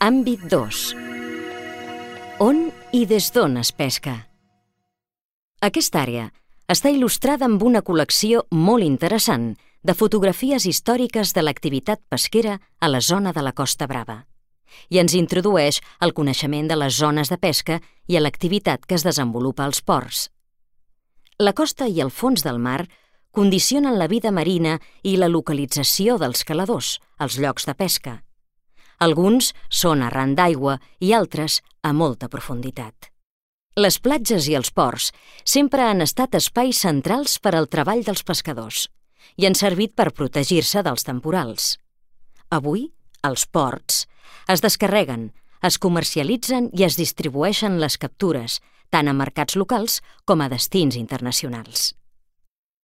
Àmbit 2. On i des d'on es pesca? Aquesta àrea està il·lustrada amb una col·lecció molt interessant de fotografies històriques de l'activitat pesquera a la zona de la Costa Brava i ens introdueix al coneixement de les zones de pesca i a l'activitat que es desenvolupa als ports. La costa i el fons del mar condicionen la vida marina i la localització dels caladors, els llocs de pesca. Alguns són arran d'aigua i altres a molta profunditat. Les platges i els ports sempre han estat espais centrals per al treball dels pescadors i han servit per protegir-se dels temporals. Avui, als ports, es descarreguen, es comercialitzen i es distribueixen les captures, tant a mercats locals com a destins internacionals.